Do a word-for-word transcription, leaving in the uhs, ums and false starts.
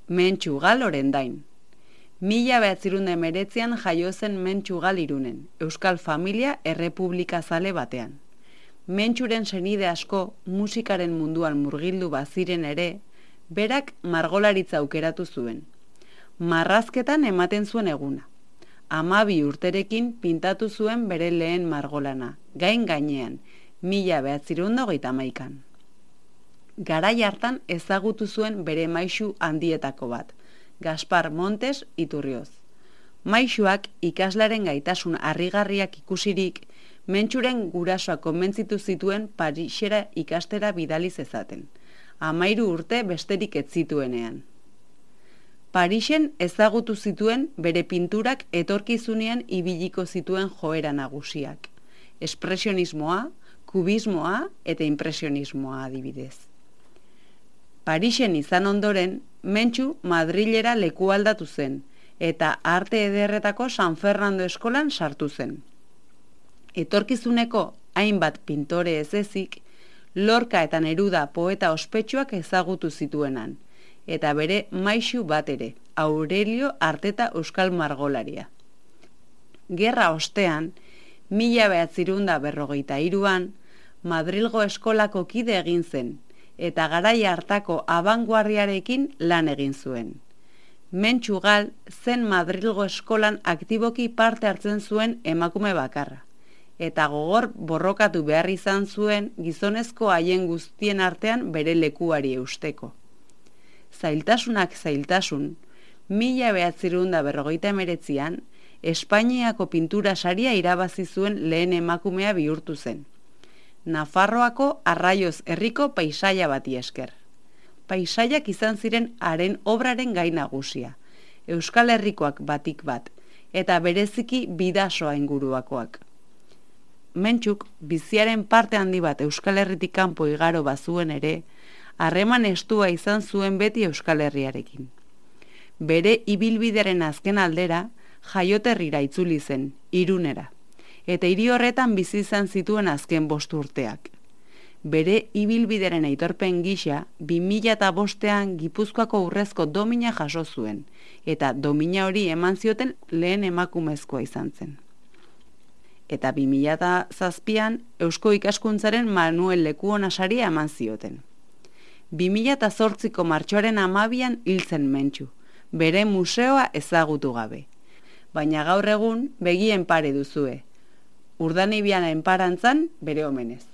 Mentxugal Orendain. Mila behatzirunde meretzian jaio zen Mentxugal Irunen, euskal familia errepublika zale batean. Mentxuren senide asko musikaren munduan murgildu baziren ere, berak margolaritza aukeratu zuen. Marrazketan ematen zuen eguna. Hamabi urterekin pintatu zuen bere lehen margolana, gain gainean, mila behatzirunde hogeita hamaikan. Garai hartan ezagutu zuen bere maisu handietako bat, Gaspar Montes Iturrioz. Maisuak ikaslaren gaitasun harrigarriak ikusirik, Mentxuren gurasoak konbentzitu zituen Parisera ikastera bidali zezaten, hamairu urte besterik ez zituenean. Parisen ezagutu zituen bere pinturak etorkizunean ibiliko zituen joera nagusiak, espresionismoa, kubismoa eta impresionismoa adibidez. Parisen izan ondoren, Mentxu Madrilera lekualdatu zen, eta arte ederretako San Fernando eskolan sartu zen. Etorkizuneko hainbat pintore ez ezik, Lorca eta Neruda poeta ospetsuak ezagutu zituenan, eta bere maisu bat ere, Aurelio Arteta euskal margolaria. Gerra ostean, mila behatzirunda berrogeita hiruan, Madrilgo eskolako kide egin zen, eta garai hartako abanguardiarekin lan egin zuen. Mentxugal zen Madrilgo eskolan aktiboki parte hartzen zuen emakume bakarra, eta gogor borrokatu behar izan zuen gizonezko haien guztien artean bere lekuari eusteko. Zailtasunak zailtasun, mila behatzirunda berrogeita emeretzian, Espainiako pintura saria irabazi zuen lehen emakumea bihurtu zen. Nafarroako Arraioz herriko paisaia bati esker. Paisaiak izan ziren haren obraren gai nagusia, Euskal Herrikoak batik bat, eta bereziki Bidasoa inguruakoak. Mentxuk biziaren parte handi bat Euskal Herritik kanpo igaro bazuen ere, harreman estua izan zuen beti Euskal Herriarekin. Bere ibilbidearen azken aldera, jaioterrira itzuli zen, Irunera, eta hiri horretan bizi izan zituen azken bost urteak. Bere ibilbideren aitorpen gisa, bi mila bostean Gipuzkoako urrezko domina jaso zuen, eta domina hori eman zioten lehen emakumezkoa izan zen. Eta bi mila zazpian Eusko Ikaskuntzaren Manuel Lekuona saria eman zioten. bi mila zortziko martxoaren hamabian hil zen Mentxu, bere museoa ezagutu gabe. Baina gaur egun begien pare duzue. Urdanibian enparantzan bere omenez.